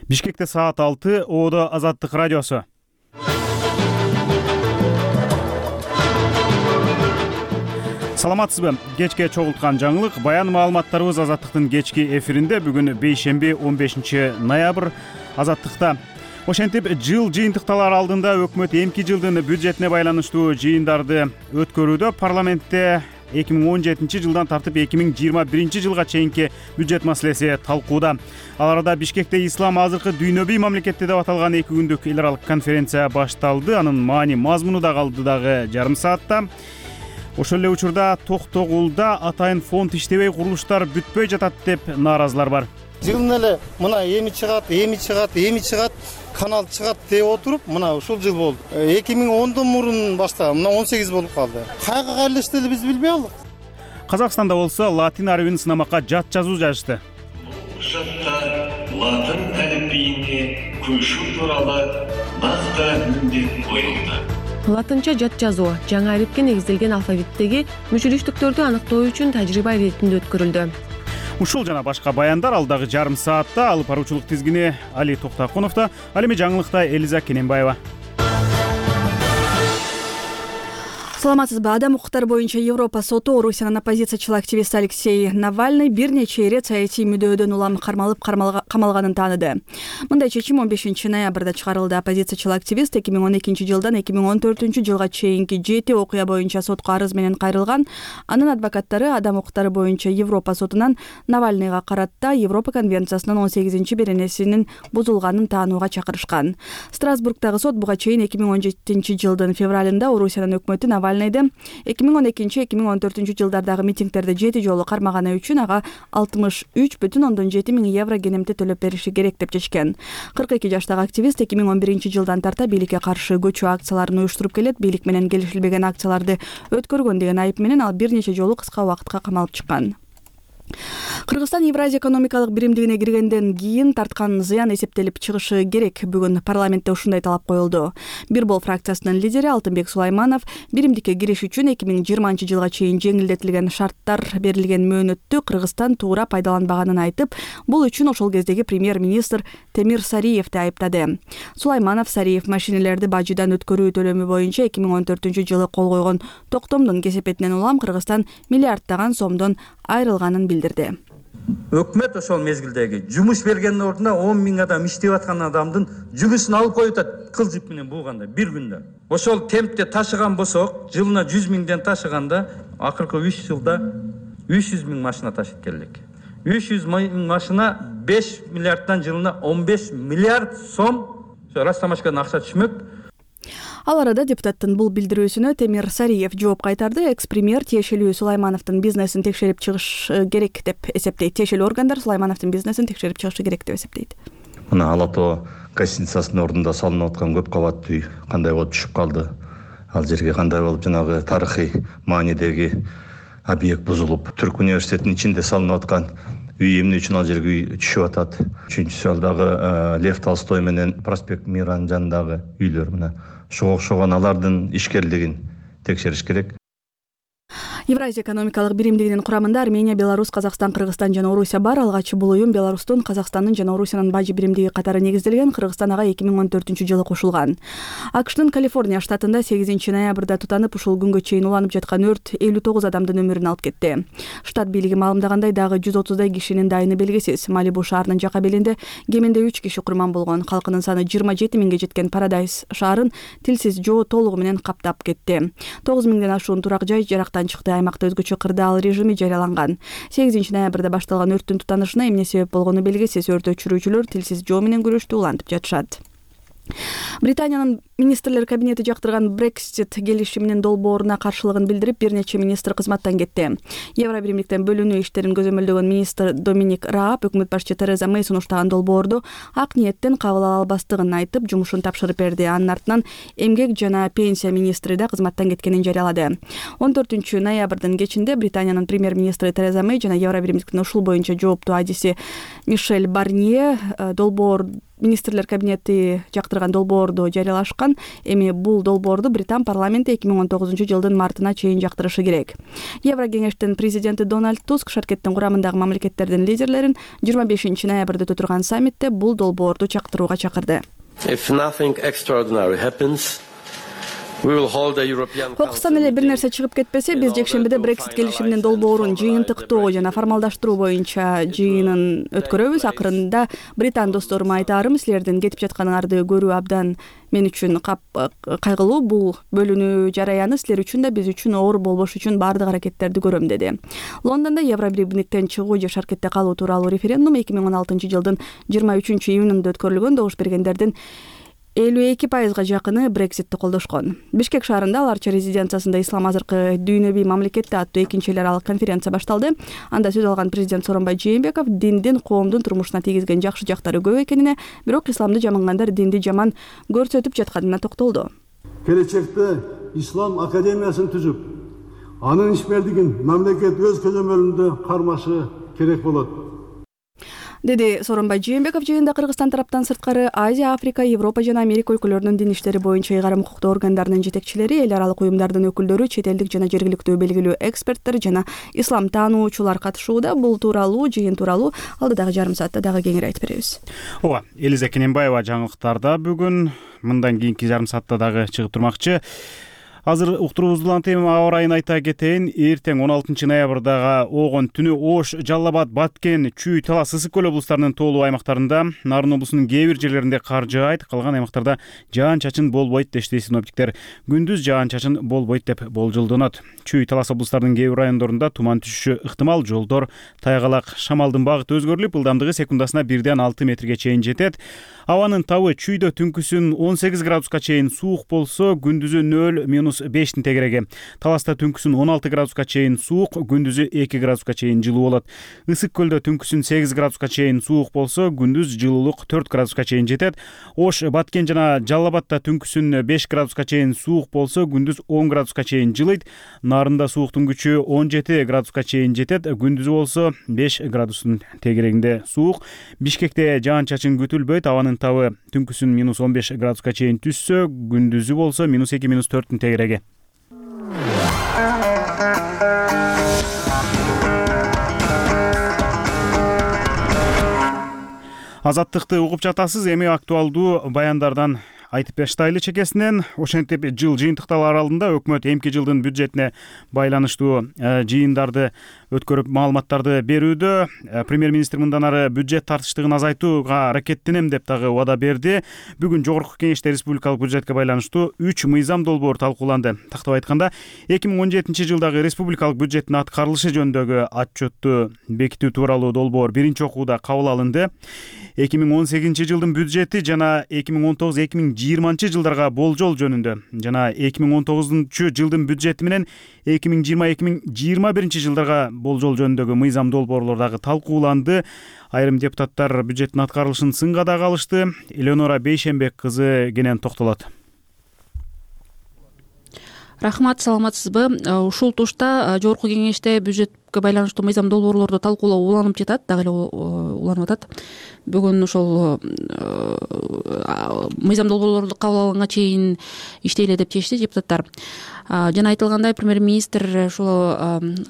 Бишкекте саат 6, Оодо Азаттык радиосу. Саламатсызбы? Кечке чогулткан жаңылык, баян маалыматтарыбыз Азаттыктын кечки эфиринде. Бүгүн бейшемби 15 ноябрь. Азаттыкта ошентип жыл жыйынтыкталар алдында өкмөт эмки жылдын бюджетине байланыштуу жыйындарды өткөрүүдө. Парламентте 2017 жылдан тартып 2021 жылга чейинки бюджет маселеси талкууда. Ал арада Бишкекте ислам азыркы дүйнөбүй мамлекетте деп аталган 2 күндүк эл аралык конференция башталды. Анын маани мазмуну да калды дагы жарым саатта. Ошол эле учурда Токтогулда атайын фонд иштебей курулуштар бүтпөй жатат деп нааразылар бар. Жылын эле мына эми чыгат, канал чыгат деп отуруп, мына ушул жыл болду. 2010дон мурун баштаган, мына 18 болуп калды. Кайга кайрылышты эле биз билбей алдык. Казакстанда болсо латин арабин сынамакка жат жазуу жазышты. Кушатта латын алифбийине көчүү тууралуу нақты міндет коюлду. Латынча жат жазуу жаңы алифке негизделген алфавиттеги мүчүлүштүктөрдү аныктоо үчүн тажрыйба иретинде өткөрүлдү. Ушул жана башка баяндар алдагы жарым саатта. Алып баруучулук тизгини Али Токтакуновдо. Ал эми жаңылыкта Элиза Кененбаева. Саламатсызбы? Адам укуктары боюнча Европа соту Орусиянын оппозициячыл активисти Алексей Навальный бир нече ирет саясий мүдөөдөн улам кармалып камалганын тааныды. Мындай чечим 15 ноябрда чыгарылды. Оппозициячыл активист 2012 жылдан 2014 жылга чейинки 7 окуя боюнча сотко арыз менен кайрылган. Анын адвокаттары адам укуктары боюнча Европа сотунан Навальныйга карата Европа конвенциясынын 18-беренесинин бузулганын таанууга чакырышкан. Страсбургдагы сот буга чейин 2017 жылдын февралында Орусиянын өкмөтү Навальныйды 2012-2014 жылдардагы митингдерде 7 жолу кармаганы үчүн ага 63,7 миң евро кенемти төлөп бериши керек деп чечкен. 42 жаштагы активист 2011 жылдан тарта бийликке каршы көчүү акцияларын уюштуруп келет. Бийлик менен келишилбеген акцияларды өткөргөн деген айып менен ал бир нече жолу кыска убакытка камалып чыккан. Кыргызстан Евразия экономикалык биримдигине киргенден кийин тарткан зыян эсептелип чыгышы керек. Бүгүн парламентте ушундай талап коюлду. Бир бол фракциясынын лидери Алтынбек Сулайманов биримдикке кириш үчүн 2020 жылга чейин жеңилдетилген шарттар берилген мөөнөттү Кыргызстан туура пайдаланбаганын айтып, бул үчүн ошол кездеги премьер-министр Темир Сариевди айыптады. Сулайманов Сариев машинелерди бажыдан өткөрүү төлөмү боюнча 2014 жылы кол койгон токтомдун кесепетинен улам Кыргызстан миллиарддаган сомдон айрылганын билдирди. Өкмөт ошол мезгилдеги жумуш бергендин ордуна 10 миң адам иштеп аткан адамдын жүгүсүн алып коюп атат, кыл жип менен бууганда бир күндө. Ошол темпте ташыган болсок, жылына 100 миңден ташыганда акыркы 3 жылда 300 миң машина ташып келдик. 300 миң машина 5 миллиарддан жылына 15 миллиард сом Растамашкадан акча түшмөк. Ал арада депутаттын бул билдирүүсүнө Темир Сариев жооп кайтарды. Экс-премьер тиешелүү Сулаймановдун бизнесин текшерип чыгыш керек деп эсептейт. Тиешелүү органдар Сулаймановдун бизнесин текшерип чыгышы керек деп эсептейт. Мына Ала Тоо гостиницасынын ордунда салынып аткан көп кабаттуу үй кандай болуп түшүп калды? Ал жерге кандай болуп жанагы тарыхый маанидеги объект бузулуп, Түрк университетинин ичинде салынып аткан үй эмне үчүн ал жерге үй түшүп атат? Үчүнчүсү ал дагы Лев Толстой менен проспект Миранын жанындагы үйлөр мына окшогон алардын ишкерлигин текшериш керек. Евразия экономикалык биримдигинин курамында Армения, Беларусь, Казакстан, Кыргызстан жана Орусия бар. Алгачы бул уюм Беларустун, Казакстандын жана Орусиянын бажы биримдиги катары негизделген. Кыргызстан ага 2014 жылы кошулган. АКШтын Калифорния штатында 8 ноябрда тутанып, ушул күнгө чейин уланып жаткан өрт 59 адамдын өмүрүн алып кетти. Штат бийлиги маалымдагандай, дагы 130дай кишинин дайыны белгисиз. Малибу шаарынын жака белинде кеминде 3 киши курман болгон. Калкынын саны 27 миңге жеткен Парадайз шаарын тилсиз жоо толугу менен каптап кетти. 9 миңден ашуун турак жай жарактан чыкты. Аймакта өзгөчө кырдаал режими жарыяланган. 8 ноябрда башталган өрттүн тутанышына эмне себеп болгону белгисиз. Өрт өчүрүүчүлөр тилсиз жоо менен күрөштү улантып жатышат. Британиянын министрлер кабинети жактырган Brexit келишиминин долбооруна каршылыгын билдирип, бир нече министр кызматтан кетти. Евро биримдиктен бөлүнүү иштерин көзөмөлдөгөн министр Доминик Рааб өкмөт башчы Тереза Мэй сунуштаган долбоорду ак ниеттен кабыл ала албастыгын айтып, жумушун тапшырып берди. Анын артынан эмгек жана пенсия министри да кызматтан кеткенин жарыялады. 14 ноябрдын кечинде Британиянын премьер-министри Тереза Мэй жана Евро биримдиктин ушул боюнча жооптуу адиси Мишель Барнье министрлер кабинети жактырган долбоорду жарыялашкан. жаткан. Эми бул долбоорду Британ парламенти 2019 жылдын мартына чейин жактырышы керек. Еврокеңештин президенти Дональд Туск шаркеттин курамындагы мамлекеттердин лидерлерин 25 ноябрда өтө турган саммитте бул долбоорду чактырууга чакырды. If nothing extraordinary happens, Кокустан эле бир нерсе чыгып кетпесе, биз жекшембиде Брексит келишиминин долбоорун жыйынтыктоо жана формалдаштыруу боюнча жыйынын өткөрөбүз. Акырында Британ досторума айтаарым, силердин кетип жатканыңарды көрүү абдан мен үчүн кайгылуу. Бул бөлүнүү жараяны силер үчүн да биз үчүн оор болбош үчүн баардык аракеттерди көрөм, деди. Лондондо Евробирликтен чыгуу же шаркетте калуу тууралуу референдум 2016 жылдын 23 июнунда өткөрүлгөн. Добуш бергендердин 52% жакыны Брекситти колдошкон. Бишкек шаарында аларча резиденциясында ислам азыркы дүйнөбүй мамлекетте аттуу экинчи эл аралык конференция башталды. Анда сөз алган президент Сооронбай Жээнбеков диндин коомдун турмушуна тийгизген жакшы жактары көп экенине, бирок исламды жамангандар динди жаман көрсөтүп жатканына токтолду. Келечекте ислам академиясын түзүп, анын ишмердигин мамлекет өз көзөмөлүндө кармашы керек болот, деди Сооронбай Жээнбеков. Жыйында Кыргызстан тараптан сырткары Азия, Африка, Европа жана Америка өлкөлөрүнүн дин иштери боюнча ыйгарым укуктуу органдарынын жетекчилери, эл аралык уюмдардын өкүлдөрү, чет элдик жана жергиликтүү белгилүү эксперттер жана ислам таануучулар катышууда. Бул тууралуу жыйын тууралуу алдыдагы жарым саатта дагы кеңири айтып беребиз. Ооба, Элиза Кененбаева жаңылыктарда бүгүн мындан кийинки жарым саатта дагы чыгып турмакчы. Азыр уктуруубуздун тема аба ырайын айта кетейин. Эртең 16 ноябрдагы огон түнү Ош, Жалал Абад, Баткен, Чүй, Талас, Ысык көл облустарынын тоолуу аймактарында, Нарын облусунун кээ бир жерлеринде кар жаайт, калган аймактарда жаан-чачын болбойт дешти синоптиктер. Күндүз жаан-чачын болбойт деп болжолдонот. Чүй, Талас облустарынын кээ бир райондорунда туман түшүшү ыктымал, жолдор тайгалак, шамалдын багыты өзгөрүлүп, ылдамдыгы секундасына 1-ден 6 метрге чейин жетет. Абанын табы Чүйдө түнкүсүн 18 градуска чейин суук болсо, күндүзү 0-5 тегереги. Таласта түнкүсүн 16 градуска чейин суук, күндүзү 2 градуска чейин жылуу болот. Ысык көлдө түнкүсүн 8 градуска чейин суук болсо, күндүз жылуулук 4 градуска чейин жетет. Ош, Баткен жана Жалал Абадта түнкүсүн 5 градуска чейин суук болсо, күндүз 10 градуска чейин жылыйт. Нарында сууктун күчү 17 градуска чейин жетет, күндүзү болсо 5 градустун тегерегинде суук. Бишкекте жаан-чачын күтүлбөйт. Абанын табы түнкүсүн -15 градуска чейин түшсө, күндүзү болсо -2-4 тегереги. Азаттыкты угуп жатасыз. Эми актуалдуу баяндардан айтып баштайлы чекесинен. Ошентип жыл жыйынтыкталар алдында өкмөт эмки жылдын бюджетине байланыштуу жыйындарды өткөрүп маалыматтарды берүүдө. Премьер-министр мындан ары бюджет тартыштыгын азайтууга аракеттенем деп дагы убада берди. Бүгүн жогорку кеңеште республикалык бюджетке байланыштуу 3 мыйзам долбоор талкууланды. Тактап айтканда, 2017 жылдагы республикалык бюджеттин аткарылышы жөнүндөгү отчетту бекитүү тууралуу долбоор биринчи окууда кабыл алынды. 2018 жылдын бюджети жана 2019-2020 жылдарга болжол жөнүндө жана 2019 жылдын бюджети менен 2020-2021 жылдарга болжол жөнүндөгү мыйзам долбоорлор дагы талкууланды. Айрым депутаттар бюджеттин аткарылышын сынга дагы алышты. Элеонора Бейшенбек кызы кенен токтолот. Рахмат, саламатсызбы? Ушул тушта жогорку кеңеште бюджетке байланыштуу мыйзам долбоорлорду талкуулоо уланып жатат, дагы эле уланып атат. Бүгүн ошол мыйзам долбоорлорду кабыл алганга чейин иштейле деп чечти депутаттар. Жана айтылгандай, премьер-министр ушул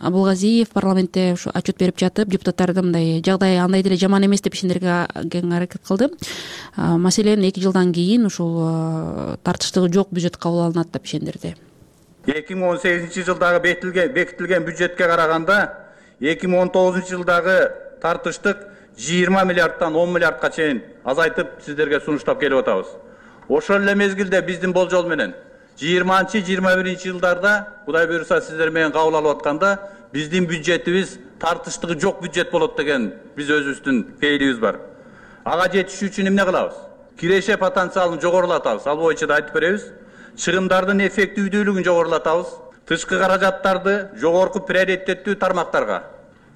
Абылгазиев парламентте ушу отчет берип жатып, депутаттарды мындай жагдай андай деле жаман эмес деп ишендирүүгө кең аракет кылды. Маселен, 2 жылдан кийин ушул тартыштыгы жок бюджет кабыл алынат деп ишендирди. 2018 жылдагы бекитилген бюджетке караганда 2019 жылдагы тартыштык 20 миллиардтан 10 миллиардка чейин азайтып сиздерге сунуштап келип атабыз. Ошол эле мезгилде биздин болжол менен 20-21 жылдарда Кудай буйруса сиздер менен кабыл алып атканда биздин бюджетибиз тартыштыгы жок бюджет болот деген биз өзүбүздүн кейилибиз бар. Ага жетишүү үчүн эмне кылабыз? Киреше потенциалын жогорулатабыз. Ал боюнча да айтып беребиз. Чыгымдардын эффективдүүлүгүн жогорулатабыз. Тышкы каражаттарды жогорку приоритеттүү тармактарга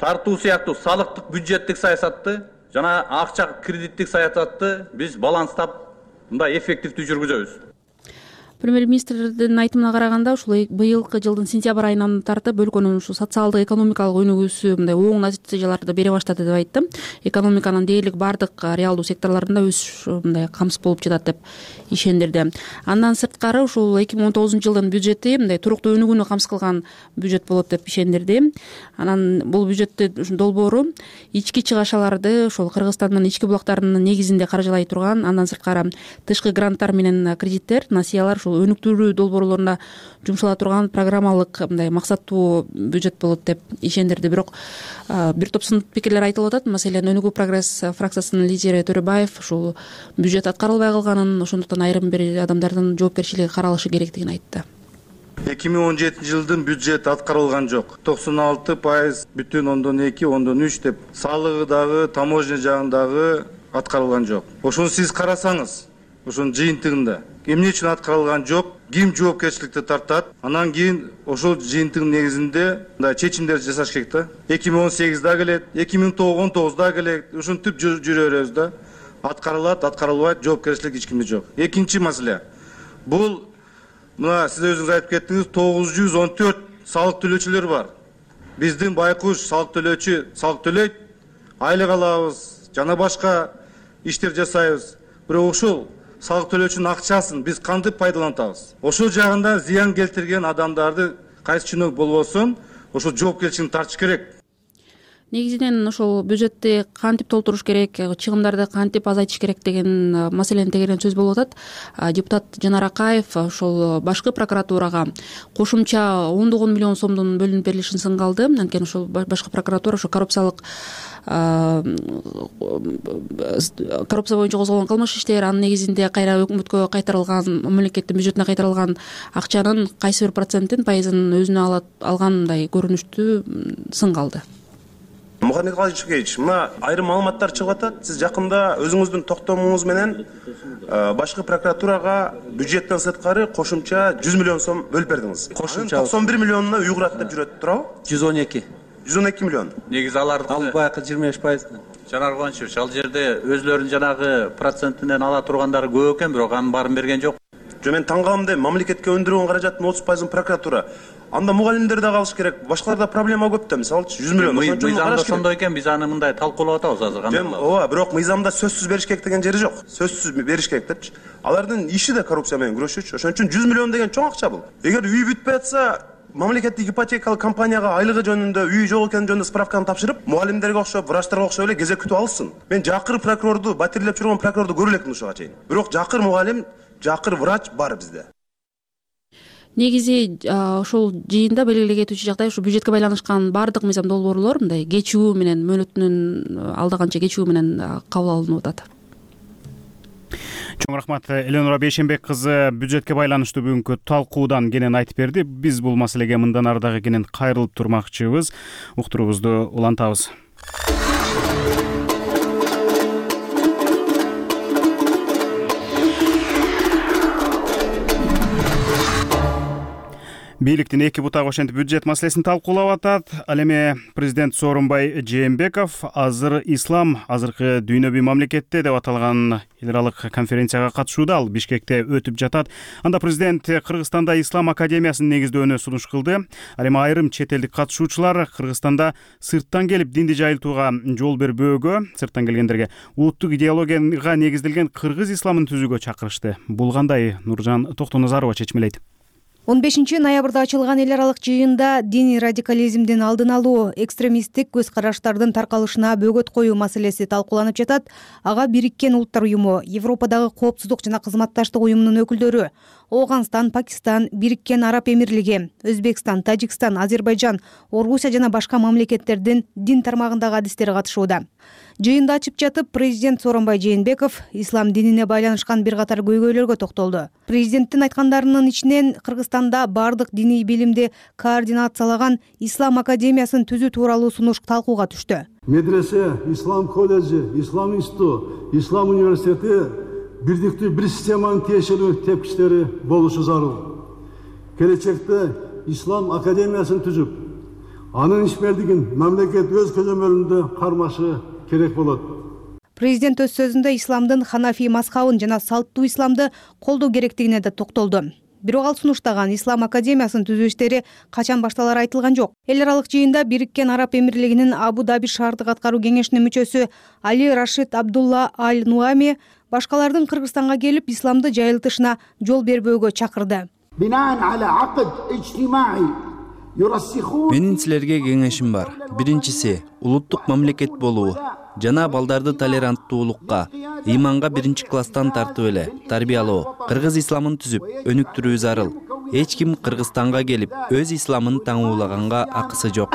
тартуу сыяктуу салыктык бюджеттик саясатты жана акча кредиттик саясатты биз баланстап мындай эффективдүү жүргүзөбүз. Премьер-министрдин айтымына караганда ушул быйылкы жылдын сентябрь айынан тартып өлкөнүн ушу социалдык экономикалык өнүгүүсү мындай оң натыйжаларды бере баштады деп айтты. Экономиканын дээрлик бардык реалдуу секторлорунда өсүш мындай камсыз болуп жатат деп ишендирди. Андан сырткары ушул 2019 жылдын бюджети мындай туруктуу өнүгүүнү камсыз кылган бюджет болот деп ишендирди. Анан бул бюджеттин долбоору ички чыгашаларды ошол Кыргызстандын ички булактарынын негизинде каржылай турган, андан сырткары тышкы гранттар менен кредиттер, насыялар ушул өнүктүрүү долбоорлоруна жумшала турган программалык мындай максаттуу бюджет болот деп ишендирди. Бирок бир топ сын пикирлер айтылып атат. Маселен, Өнүгүү прогресс фракциясынын лидери Төрөбаев ушул бюджет аткарылбай калганын, ошондуктан айрым бир адамдардын жоопкерчилиги каралышы керектигин айтты. 2017 жылдын бюджет аткарылган жок. 96,2,3 деп салыгы дагы, таможня жагындагы аткарылган жок. Ошону сиз карасаңыз, ошонун жыйынтыгында эмне үчүн аткарылган жок, ким жоопкерчиликти тартат, анан кийин ошол жыйынтыгынын негизинде мындай чечимдер жасаш керек да. 2018 да келет, 2019 да келет, ушинтип жүрө беребиз да. Аткарылат, аткарылбайт, жоопкерчилик эч кимде жок. Экинчи маселе. Бул мына сиз өзүңүз айтып кеттиңиз, 914 салык төлөөчүлөр бар. Биздин байкуш салык төлөөчү салык төлөйт, айлык алабыз, жана башка иштер жасайбыз. Бирок ушул салык төлөөчүнүн акчасын биз кантип пайдалантабыз? Ошол жагында зыян келтирген адамдарды кайсы чиновник болбосун, ошол жоопкерчиликти тартыш керек. Негизинен ошол бюджетти кантип толтуруш керек, чыгымдарды кантип азайтыш керек деген маселени тегерен сөз болуп атат. Депутат Жанар Акаев ошол башкы прокуратурага кошумча 10 миллион сомдун бөлүнүп берилишин сынга алды. Анткени ошол башкы прокуратура ошо коррупция боюнча козголгон кылмыш иштер, анын негизинде кайра өкмөткө кайтарылган, мамлекеттин бюджетине кайтарылган акчанын кайсы бир процентин, пайызын өзүнө алган мындай көрүнүштү сынга алды. Мухаммед Калычевич, мына айрым маалыматтар чыгып атат. Сиз жакында өзүңүздүн токтомуңуз менен башкы прокуратурага бюджеттен сырткары кошумча 100 миллион сом бөлүп бердиңиз. Кошумча 91 миллионуна уйгурат деп жүрөт, туурабы? 112 миллион. Негизи аларды ал баягы 25%. Жанар Кубанычевич, ал жерде өзлөрүнүн жанагы процентинен ала тургандары көп экен, бирок анын баарын берген жок. Жо мен таң калам деп, мамлекетке өндүргөн каражаттын 30%-ын прокуратура. Анда мугалимдер да калыш керек. Башкаларда проблема көп да, мисалы 100 миллион. Мыйзамда ошондой экен, биз аны мындай талкуулап атабыз азыр кандай кылабыз? Ооба, бирок мыйзамда сөзсүз бериш керек деген жери жок. Сөзсүз бериш керек депчи. Алардын иши да коррупция менен күрөшүүчү. Ошон үчүн 100 миллион деген чоң акча бул. Эгер үй бүтпөй атса, мамлекеттик ипотекалык компанияга айлыгы жөнүндө, үй жок экени жөнүндө справканы тапшырып, мугалимдерге окшоп, врачтарга окшоп эле кезек күтүп алсын. Мен жакыр прокурорду, батирлеп жүргөн прокурорду көрө элекмин ушуга чейин. Бирок жакыр мугалим, жакыр врач бар бизде. Негизи ошол жыйында белгилей кетүүчү жагдай ушу бюджетке байланышкан бардык мыйзам долбоорлор мындай кечүү менен, мөөнөтүнөн алдаганча кечүү менен кабыл алынып атат. Чоң рахмат. Эленора Бейшенбек кызы бюджетке байланыштуу бүгүнкү талкуудан кенен айтып берди. Биз бул маселеге мындан ары дагы кенен кайрылып турмакчыбыз. Уктуруубузду улантабыз. Бийликтин эки бутагы ошентип бюджет маселесин талкуулап атат. Ал эми президент Сооронбай Жээнбеков азыр ислам азыркы дүйнөбүй мамлекетте деп аталган эл аралык конференцияга катышууда. Ал Бишкекте өтүп жатат. Анда президент Кыргызстанда ислам академиясын негиздөөнү сунуш кылды. Ал эми айрым чет элдик катышуучулар Кыргызстанда сырттан келип динди жайылтууга жол бербөөгө, сырттан келгендерге улуттук идеологияга негизделген кыргыз исламын түзүүгө чакырышты. Бул кандай? Нуржан Токтоназарова чечмелейт. 15-ноябрда ачылган эл аралык жыйында диний радикализмдин алдын алуу, экстремисттик көз караштардын таркалышына бөгөт коюу маселеси талкууланып жатат. Ага Бириккен Улуттар уюму, Европадагы коопсуздук жана кызматташтык уюмунун өкүлдөрү, Ооганстан, Пакистан, Бириккен Араб Эмирлиги, Өзбекстан, Тажикстан, Азербайжан, Орусия жана башка мамлекеттердин дин тармагындагы адистери катышууда. Жыйында ачып жатып, президент Сооронбай Жээнбеков ислам динине байланышкан бир катар көйгөйлөргө токтолду. Президенттин айткандарынын ичинен Кыргызстанда бардык диний билимди координациялаган ислам академиясын түзүү тууралуу сунуш талкууга түштү. Медресе, ислам колледжи, ислам институту, ислам университети бирдиктүү бир системанын тиешелүү тепкичтери болушу зарыл. Келечекте ислам академиясын түзүп, анын ишмердигин мамлекет өз көзөмөлүндө кармашы керек болот. Президент өз сөзүндө исламдын ханафи мазхабын жана салттуу исламды колдоо керектигине да токтолду. Бирок ал сунуштаган Ислам академиясын түзүү иштери качан башталары айтылган жок. Эл аралык жыйында Бириккен Араб Эмирлигинин Абу Даби шаардык аткаруу кеңешинин мүчөсү Али Рашид Абдулла Аль-Нуами башкалардын Кыргызстанга келип исламды жайылтышына жол бербөөгө чакырды. Менин силерге кеңешим бар. Биринчиси улуттук мамлекет болуу жана балдарды толеранттуулукка, ыйманга биринчи класстан тартып эле тарбиялоо, кыргыз исламын түзүп, өнүктүрүү зарыл. Эч ким Кыргызстанга келип өз исламын таңуулаганга акысы жок.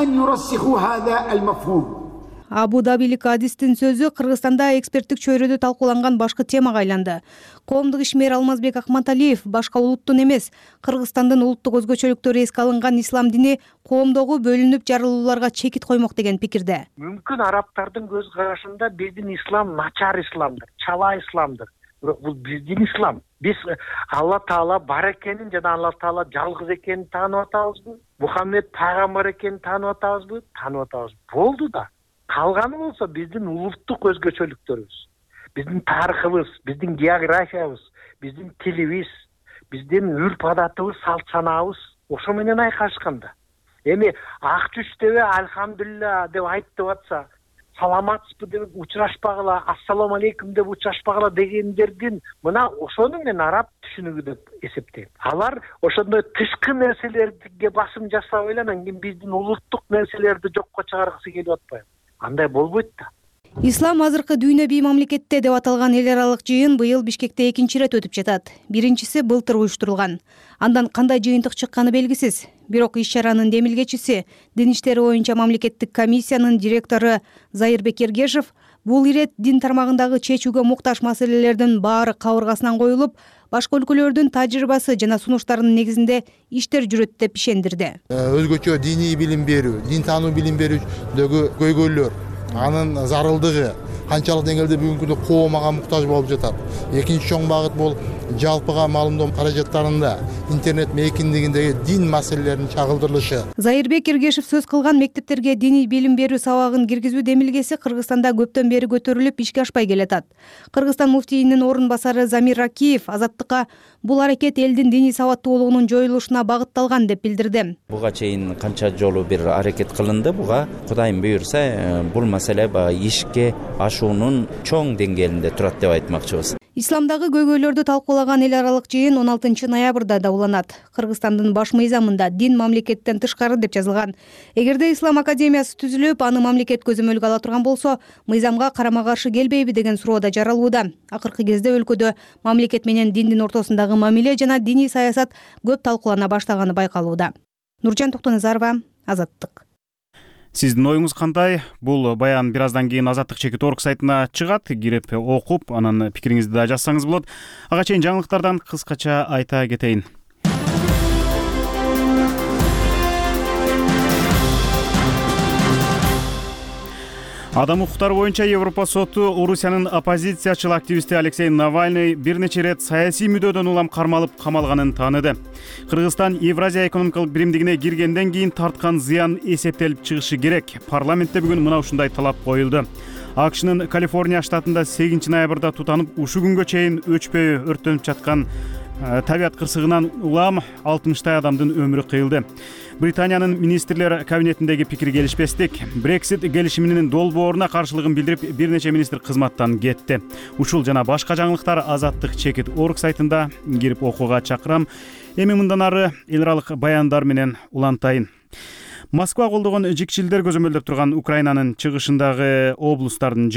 Абу Дабилик адистин сөзү Кыргызстанда эксперттик чөйрөдө талкууланган башкы темага айланды. Коомдук ишмер Алмазбек Акматалиев башка улуттун эмес, Кыргызстандын улуттук өзгөчөлүктөрү эске алынган ислам дини коомдогу бөлүнүп жарылууларга чекит коймок деген пикирде. Мүмкүн арабтардын көз карашында биздин ислам начар исламдыр, чала исламдыр. Бирок бул биздин ислам. Биз Алла Таала бар экенин жана Алла Таала жалгыз экенин таанып атабызбы? Мухаммед пайгамбар экенин таанып атабызбы? Таанып атабыз. Болду да. Калганы болсо биздин улуттук өзгөчөлүктөрүбүз, биздин тарыхыбыз, биздин географиябыз, биздин тилибиз, биздин үрп адатыбыз, салт санаабыз ошо менен айкашканда. Эми ак түштөбү альхамдулилля деп айтып атса, саламатсызбы деп учурашпагыла, ассаламу алейкум деп учурашпагыла дегендердин мына ошону мен араб түшүнүгү деп эсептейм. Алар ошондой тышкы нерселерге басым жасап эле анан кийин биздин улуттук нерселерди жокко чыгаргысы келип атпайбы? Андай болбойт да. Ислам азыркы дүйнө бий мамлекетте деп аталган эл аралык жыйын быйыл Бишкекте экинчи ирет өтүп жатат. Биринчиси былтыр уюштурулган. Андан кандай жыйынтык чыкканы белгисиз. Бирок иш-чаранын демилгечиси, дин иштери боюнча мамлекеттик комиссиянын директору Зайырбек Эргешев бул ирет дин тармагындагы чечүүгө муктаж маселелердин баары кабыргасынан коюлуп, башка өлкөлөрдүн тажрыйбасы жана сунуштарынын негизинде иштер жүрөт деп ишендирди. Өзгөчө диний билим берүү, дин таануу билим берүүдөгү көйгөйлөр, анын зарылдыгы канчалык деңгээлде бүгүнкү күндө коом ага муктаж болуп жатат. Экинчи чоң багыт бул жалпыга маалымдоо каражаттарында интернет мейкиндигиндеги дин маселелеринин чагылдырылышы. Зайырбек Эргешев сөз кылган мектептерге диний билим берүү сабагын киргизүү демилгеси Кыргызстанда көптөн бери көтөрүлүп ишке ашпай келатат. Кыргызстан муфтийинин орун басары Замир Ракиев Азаттыкка бул аракет элдин диний сабаттуулугунун жоюлушуна багытталган деп билдирди. Буга чейин канча жолу бир аракет кылынды. Буга Кудайым буйрса бул маселе ишке ашуунун чоң деңгээлинде турат деп айтмакчыбыз. Исламдагы көйгөйлөрдү талкуулаган эл аралык жыйын 16 ноябрда да уланат. Кыргызстандын баш мыйзамында дин мамлекеттен тышкары деп жазылган. Эгерде Ислам академиясы түзүлүп, аны мамлекет көзөмөлгө ала турган болсо, мыйзамга карама каршы келбейби деген суроо да жаралууда. Акыркы кезде өлкөдө мамлекет менен диндин ортосундагы мамиле жана диний саясат көп талкуулана баштаганы байкалууда. Нуржан Токтоназарова, Азаттык. Сиздин оюңуз кандай? Бул баян бир аздан кийин Азаттык.org сайтына чыгат. Кирип окуп, анан пикириңизди да жазсаңыз болот. Ага чейин жаңылыктардан кыскача айта кетейин. Адам укуктары боюнча Европа соту Орусиянын оппозициячыл активисти Алексей Навальный бир нече рет саясий мүдөөдөн улам кармалып камалганын тааныды. Кыргызстан Евразия экономикалык биримдигине киргенден кийин тарткан зыян эсептелип чыгышы керек. Парламентте бүгүн мына ушундай талап коюлду. АКШнын Калифорния штатында 8 ноябрда тутанып ушу күнгө чейин өчпөй өрттөнүп жаткан табият кырсыгынан улам 60 адамдын өмүрү кыйылды. Британиянын министрлер кабинетиндеги пикир келишпестик Brexit келишиминин долбооруна каршылыгын билдирип, бир нече министр кызматтан кетти. Ушул жана башка жаңылыктар Азаттык.org сайтында кирип окууга чакырам. Эми мындан ары эл аралык баяндар менен улантайын. Москва колдогон жикчилдер көзөмөлдөп турган Украинанын чыгышындагы облустардын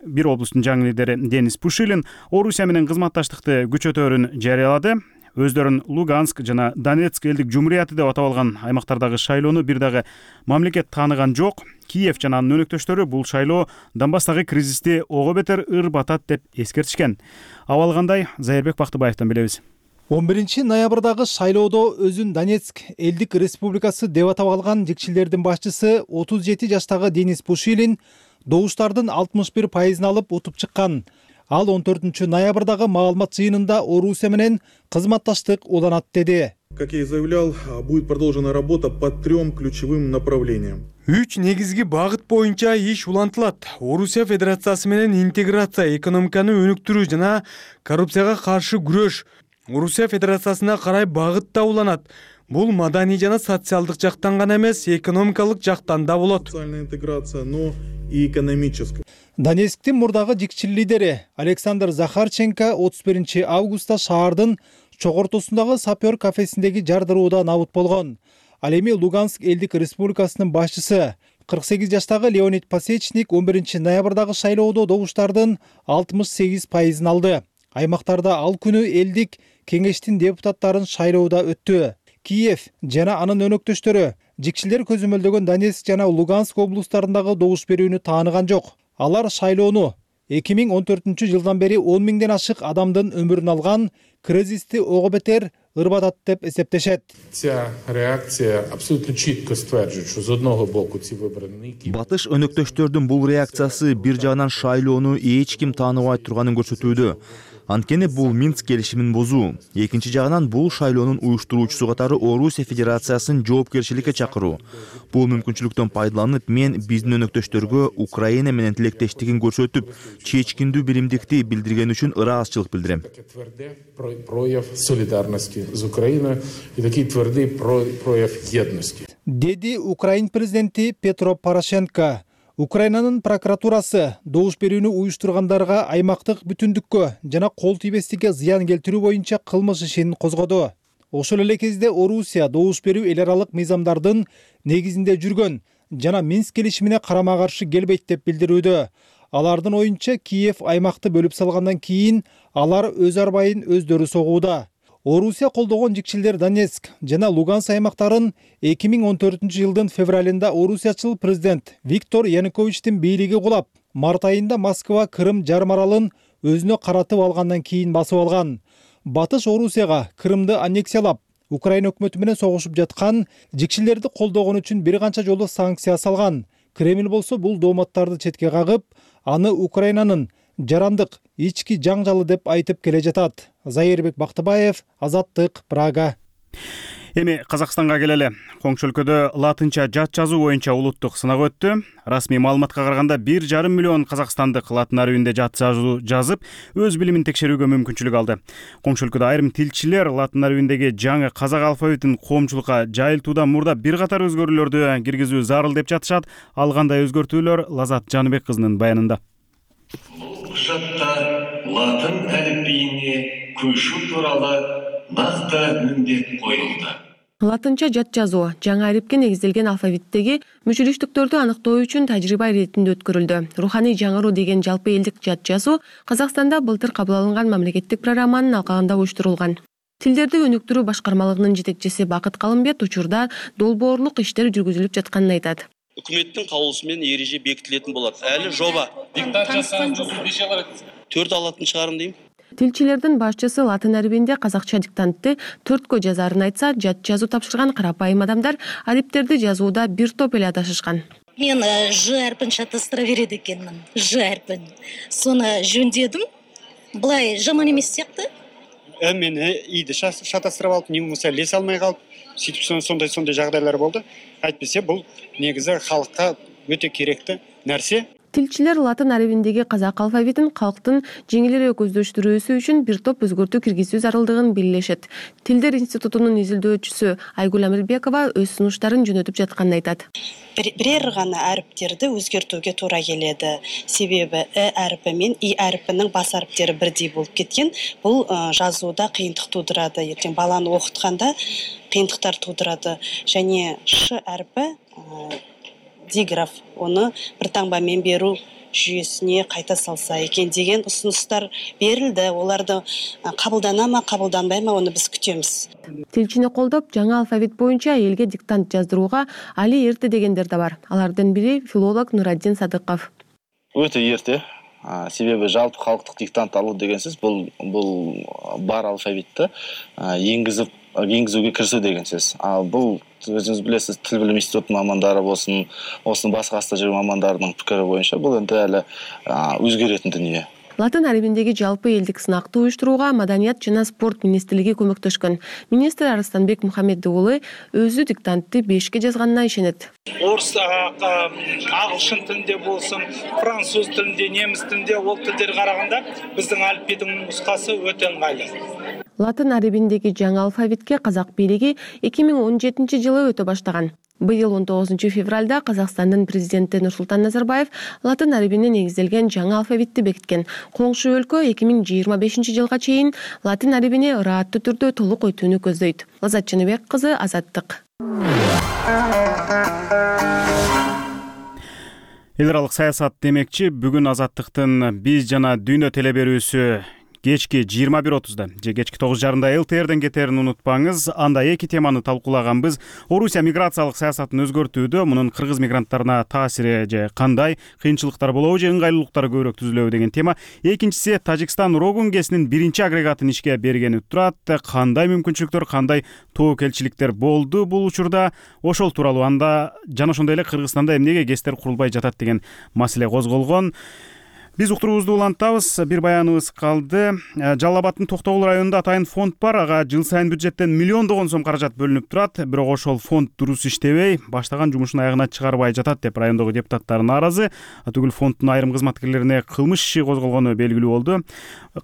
бир облустун жаңы лидери Денис Пушилин Орусия менен кызматташтыкты күчөтөөрүн жарыялады. Өздөрүн Луганск жана Донецк элдик жумурияты деп атап алган аймактардагы шайлоону бир дагы мамлекет тааныган жок. Киев жана анын өнөктөштөрү бул шайлоо Донбасстагы кризисти ого бетер ырбатат деп эскертишкен. Абал кандай? Зайырбек Бактыбаевтан билебиз. 11 ноябрдагы шайлоодо өзүн Донецк элдик республикасы деп атап алган жикчилдердин башчысы 37 жаштагы Денис Пушилин добуштардын 61% алып утуп чыккан. Ал 14 ноябрдагы маалымат жыйынында Орусия менен кызматташтык уланат деди. Как я и заявлял, будет продолжена работа по 3 ключевым направлениям. 3 негизги багыт боюнча иш улантылат. Орусия Федерациясы менен интеграция, экономиканы өнүктүрүү жана коррупцияга каршы күрөш. Орусия Федерациясына карай багытта уланат. Бул маданий жана социалдык жактан гана эмес, экономикалык жактан да болот. Социальная интеграция, но и экономическая. Донецктин мурдагы жикчил лидери Александр Захарченко 31 августта шаардын чогортосундагы сапер кафесиндеги жардыруудан набыт болгон. Ал эми Луганск элдик республикасынын башчысы 48 жаштагы Леонид Пасечник 11 ноябрдагы шайлоодо добуштардын 68% алды. Аймактарда ал күнү элдик кеңештин депутаттарын шайлоодо өттү. Киев жана анын өнөктөштөрү жикчилер көзөмөлдөгөн Донецк жана Луганск облустарындагы добуш берүүнү тааныган жок. Алар шайлоону 2014-жылдан бери 10 миңден ашык адамдын өмүрүн алган кризисти ого бетер ырбатат деп эсептешет. Ця реакция абсолютно чітко стверджує, що з одного боку ці вибори не Батыш өнөктөштөрдүн бул реакциясы бир жагынан шайлоону эч ким тааныбай турганын көрсөтүүдө. Анткени бул Минск келишимин бузуу. Экинчи жагынан бул шайлоонун уюштуруучусу катары Орусия Федерациясын жоопкерчиликке чакыруу. Бул мүмкүнчүлүктөн пайдаланып, мен биздин өнөктөштөргө Украина менен тилектештигин көрсөтүп, чечкиндүү биримдикти билдирген үчүн ыраазычылык билдирем. тверде прояв солидарности з Україною і такий твердий прояв єдності. Деди Украин президенти Петро Порошенко. Украинанын прокуратурасы добуш берүүнү уюштургандарга аймактык бүтүндүккө жана кол тийбестикке зыян келтирүү боюнча кылмыш ишин козгоду. Ошол эле кезде Орусия добуш берүү эл аралык мыйзамдардын негизинде жүргөн жана Минск келишимине карама каршы келбейт деп билдирүүдө. Алардын оюнча Киев аймакты бөлүп салгандан кийин алар өз арбайын өздөрү согууда. Орусия колдогон жикчилдер Донецк жана Луганск аймактарын 2014-жылдын февралында орусиячыл президент Виктор Януковичтин бийлиги кулап, март айында Москва Крым жарым аралын өзүнө каратып алгандан кийин басып алган. Батыш Орусияга Крымды аннексиялап, Украина өкмөтү менен согушуп жаткан жикчилерди колдогон үчүн бир канча жолу санкция салган. Кремль болсо бул дооматтарды четке кагып, аны Украинанын жарандык ички жаңжалы деп айтып келе жатат. Зайырбек Бактыбаев, Азаттык, Прага. Эми Казакстанга келели. Коңшу өлкөдө латынча жат жазуу боюнча улуттук сынак өттү. Расмий маалыматка караганда 1,5 миллион казакстандык латын арабинде жат жазуу жазып, өз билимин текшерүүгө мүмкүнчүлүк алды. Коңшу өлкөдө айрым тилчилер латын арабиндеги жаңы казак алфавитин коомчулукка жайылтуудан мурда бир катар өзгөрүүлөрдү киргизүү зарыл деп жатышат. Ал кандай өзгөртүүлөр? Лазат Жаныбек кызынын баянында. Құжатта латын әліпбиіне көшу туралы нақты міндет қойылды. Латынча жат жазуу жаңы арипке негизделген алфавиттеги мүчүлүштүктөрдү аныктоо үчүн тажрыйба иретинде өткөрүлдү. Руханий жаңыруу деген жалпы элдик жат жазуу Казакстанда былтыр кабыл алынган мамлекеттик программанын алкагында уюштурулган. Тилдерди өнүктүрүү башкармалыгынын жетекчиси Бакыт Калымбет учурда долбоорлук иштер жүргүзүлүп жатканын айтат. Үкіметтің каулусумен ереже бекитилетін болады. Әлі жоба. Диктат жасаңыз, неше алат? 4 алатын шығарым дейм. Тилчилердин башчысы латын арабинде казакча диктантты 4кө жазарын айтса, жат жазуу тапшырган карапайым адамдар ариптерди жазууда бир топ эле адашышкан. Мен Ж әрпін шатастыра береді екенмін. Ж әрпін. Соны жөндедім. Былай жаман емес сияқты. Мен иді шатастырып алып, не болмаса лес алмай қалып, сөйтіп сондай жағдайлар болды. Әйтпесе бұл негізі халыққа өте керекті нәрсе. Тилчилер латын арабиндеги казак алфавитин калктын жеңилирээк өздөштүрүүсү үчүн бир топ өзгөртүү киргизүү зарылдыгын белгилешет. Тилдер институтунун изилдөөчүсү Айгүл Амирбекова өз сунуштарын жөнөтүп жатканын айтат. Бирер гана әріптерді өзгертүүгө туура келеді. Себеби әріпі мен и әріпінің бас әріптері бірдей болып кеткен. Бұл жазууда қиындық тудырады. Ертең баланы оқытқанда қиындықтар тудырады. Және Ш әріпі диграф, оны бір таңбамен беру жүйесіне қайта салса екен деген ұсыныстар берілді. Оларды қабылдана ма, қабылданбай ма, оны біз күтеміз. Тилчини колдоп, жаңа алфавит боюнча элге диктант жаздырууга али эрте дегендер да бар. Алардын бири филолог Нураддин Садыков. Өтө эрте. Себеби жалпы халыктык диктант алуу дегенсиз бул бар алфавитти енгизүүгө кирисүү деген сөз. Бул өзүңүз билесиз, тил билим институтунун мамандары болсун, башка стажер мамандардын пикири боюнча бул эми эле өзгөрөтүн дүнүө. Латын арабиндеги жалпы элдик сынакты уюштурууга Маданият жана спорт министрлиги көмөктөшкөн. Министр Арыстанбек Мухаммед уулу өзү диктантты 5ке жазганына ишенет. Орыс, ағылшын тілінде болсын, француз тілінде, неміс тілінде ол тілдер қарағанда біздің әліпбидің нұсқасы өте ыңғайлы. Латын арабиндеги жаңы алфавитке казак бийлиги 2017-жылы өтө баштаган. Быйыл 19 февралда Казакстандын президенти Нурсултан Назарбаев латын арабине негизделген жаңы алфавитти бекиткен. Коңшу өлкө 2025-жылга чейин латын арабине ырааттуу түрдө толук өтүүнү көздөйт. Лаззат Жаныбек кызы, Азаттык. Эл аралык саясат демекчи, бүгүн Азаттыктын биз жана дүйнө телеберүүсү кечки 21:30 же кечки 9:30 ЛТРден кетерин унутпаңыз. Анда эки теманы талкуулаганбыз. Орусия миграциялык саясатын өзгөртүүдө мунун кыргыз мигранттарына таасири же кандай, кыйынчылыктар болобу же ыңгайлуулуктары көбүрөөк түзүлөбү деген тема. Экинчиси Тажикстан Рогун ГЭСинин биринчи агрегатын ишке бергени турат. Кандай мүмкүнчүлүктөр, кандай тобокелчиликтер болду бул учурда? Ошол тууралуу анда жана ошондой эле Кыргызстанда эмнеге ГЭСтер курулбай жатат деген маселе козголгон. Биз уктуруубузду улантабыз. Бир баяныбыз калды. Жалал Абадтын Токтогул районунда атайын фонд бар. Ага жыл сайын бюджеттен миллиондогон сом каражат бөлүнүп турат. Бирок ошол фонд дурус иштебей, баштаган жумушун аягына чыгарбай жатат деп райондогу депутаттар нааразы. Түгүл фонддун айрым кызматкерлерине кылмыш иши козголгону белгилүү болду.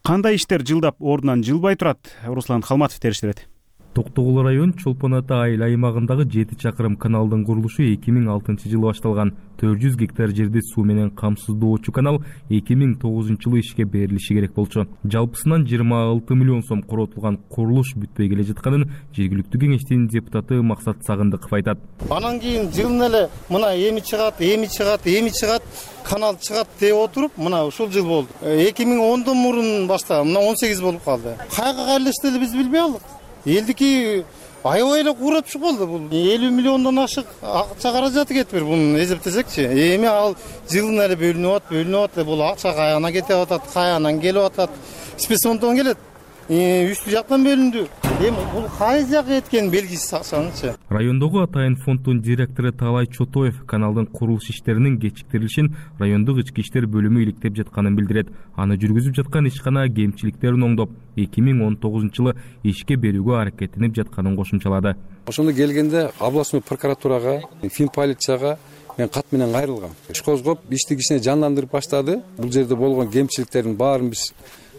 Кандай иштер жылдап ордунан жылбай турат? Руслан Калматов териштирет. Токтогул район Чолпон Ата айыл аймагындагы 7 чакырым каналдын курулушу 2006-жылы башталган. 400 гектар жерди суу менен камсыздоочу канал 2009-жылы ишке берилиши керек болчу. Жалпысынан 26 миллион сом коротулган курулуш бүтпөй келе жатканын жергиликтүү кеңештин депутаты Максат Сагындыков айтат. Анан кийин жылына эле мына эми чыгат, канал чыгат деп отуруп, мына ушул жыл болду. 2010дон мурун баштаган, мына 18 болуп калды. Кайга кайрылышты эле биз билбей алдык. Элдики аябай эле куурап чыгылды. Бул 50 миллиондон ашык акча каражаты кетипир. Буну эсептесекчи, эми ал жылына эле бөлүнүп атат. Бул акча каягана кетип атат, каягынан келип атат. Спецфонддон келет. Үстү жактан бөлүндү. Эми бул кайсы жакка кеткени белгисиз акчанычы. Райондогу атайын фонддун директору Таалай Чотоев каналдын курулуш иштеринин кечиктирилишин райондук ички иштер бөлүмү иликтеп жатканын билдирет. Аны жүргүзүп жаткан ишкана кемчиликтерин оңдоп, 2019-жылы ишке берүүгө аракеттенип жатканын кошумчалады. Ошондо келгенде областной прокуратурага, финполицияга мен кат менен кайрылгам. Иш козгоп, ишти кичине жандандырып баштады. Бул жерде болгон кемчиликтердин баарын биз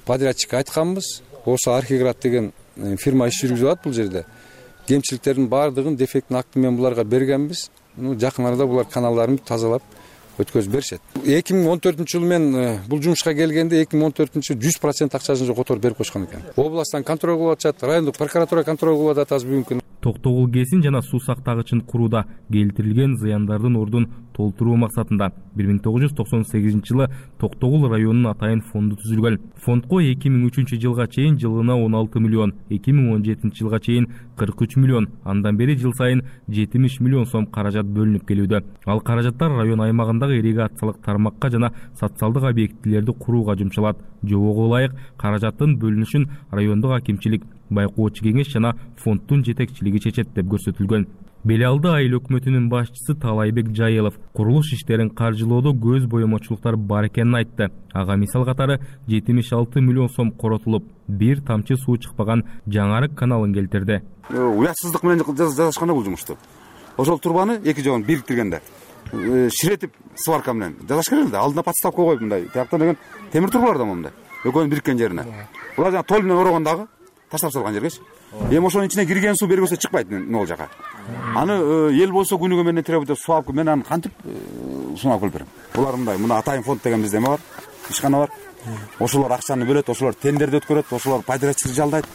подрядчикке айтканбыз. Ошо Архиград деген фирма иш жүргүзүп атат бул жерде. Кемчиликтердин баардыгын дефектин акты менен буларга бергенбиз. Жакын арада булар каналдарын тазалап өткөзүп беришет. 2014-жылы мен бул жумушка келгенде 2014-жылы 100% акчасын которуп берип койгон экен. Областтан контроль кылып атышат, райондук прокуратура контроль кылып атат азыр бүгүнкү күнү. Токтогул ГЭСин жана суу сактагычын курууда келтирилген зыяндардын ордун толтуруу максатында 1998-жылы Токтогул районунун атайын фонду түзүлгөн. Фондко 2003-жылга чейин жылына 16 миллион, 2017-жылга чейин 43 миллион, андан бери жыл сайын 70 миллион сом каражат бөлүнүп келүүдө. Ал каражаттар район аймагындагы ирригациялык тармакка жана социалдык объектилерди курууга жумшалат. Жобого ылайык каражаттын бөлүнүшүн райондук акимчилик, байкоочу кеңеш жана фонддун жетекчилиги чечет деп көрсөтүлгөн. Белиалды айыл өкмөтүнүн башчысы Талайбек Жайылов курулуш иштерин каржылоодо көз боемочулуктар бар экенин айтты. Ага мисал катары 76 миллион сом коротулуп, бир тамчы суу чыкпаган жаңарык каналын келтирди. Уятсыздык менен жасашканда бул жумушту. Ошол турбаны эки жогун бириктиргенде ширетип сварка менен жасаш керек эле. Алдына подставка коюп мындай. Тияктан деген темир турбалар да мындай. Экөөнүн бириккен жерине. Булар жана тол менен орогондагы таштап салган жергечи. Эми ошонун ичине кирген суу бергөсө чыкпайт могул жака. Аны эл болсо күнүгө менен требуйт суап, мен аны кантип сунап келип берем. Булар мындай, мына атайын фонд деген бизде эме бар, ишкана бар. Ошолор акчаны бөлөт, ошолор тендерди өткөрөт, ошолор подрядчик жалдайт.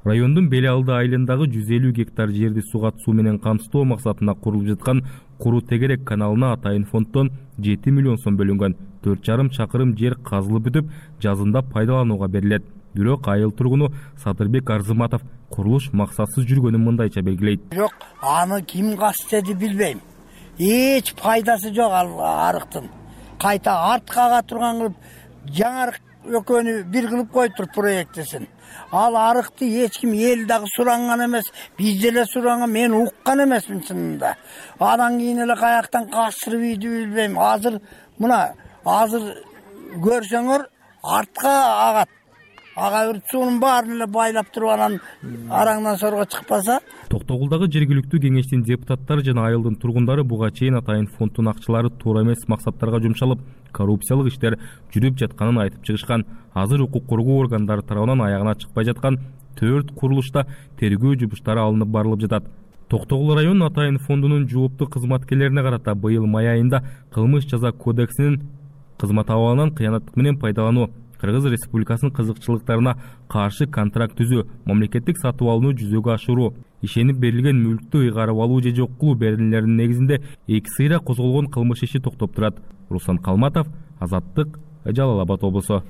Райондун Белиалды айылындагы 150 гектар жерди суга суу менен камсыздоо максатында курулуп жаткан Куру Тегерек каналына атайын фонддон 7 миллион сом бөлүнгөн. 4,5 чакырым жер казылып бүтүп, жазында пайдаланууга берилет. Бирок айыл тургуну Садырбек Арзыматов курулуш максатсыз жүргөнүн мындайча белгилейт. Жок, аны ким кастеди билбейм. Эч пайдасы жок ал арыктын. Кайта артка ага турган кылып, жаңарык экөөнү бир кылып коюптур проектисин. Ал арыкты эч ким эл дагы суранган эмес, биз деле суранган, мен уккан эмесмин чынында. Анан кийин эле каяктан кастырып ийди билбейм. Азыр көрсөңөр артка агат. Ага суунун баарын эле байлап туруп анан араңдан сорго чыкпаса. Токтогулдагы жергиликтүү кеңештин депутаттары жана айылдын тургундары буга чейин атайын фонддун акчалары туура эмес максаттарга жумшалып, коррупциялык иштер жүрүп жатканын айтып чыгышкан. Азыр укук коргоо органдары тарабынан аягына чыкпай жаткан 4 курулушта тергөө жумуштары алынып барылып жатат. Токтогул районунун атайын фондунун жооптуу кызматкерлерине карата быйыл май айында кылмыш жаза кодексинин кызмат абалынан кыянаттык менен пайдалануу, Кыргыз Республикасынын кызыкчылыктарына каршы контракт түзүү, мамлекеттик сатып алууну жүзөгө ашыруу, ишенип берилген мүлктү ыйгарып алуу же жок кылуу беренелеринин негизинде 2 сыйра козголгон кылмыш иши токтоп турат. Руслан Калматов, Азаттык, Жалал Абад облусу.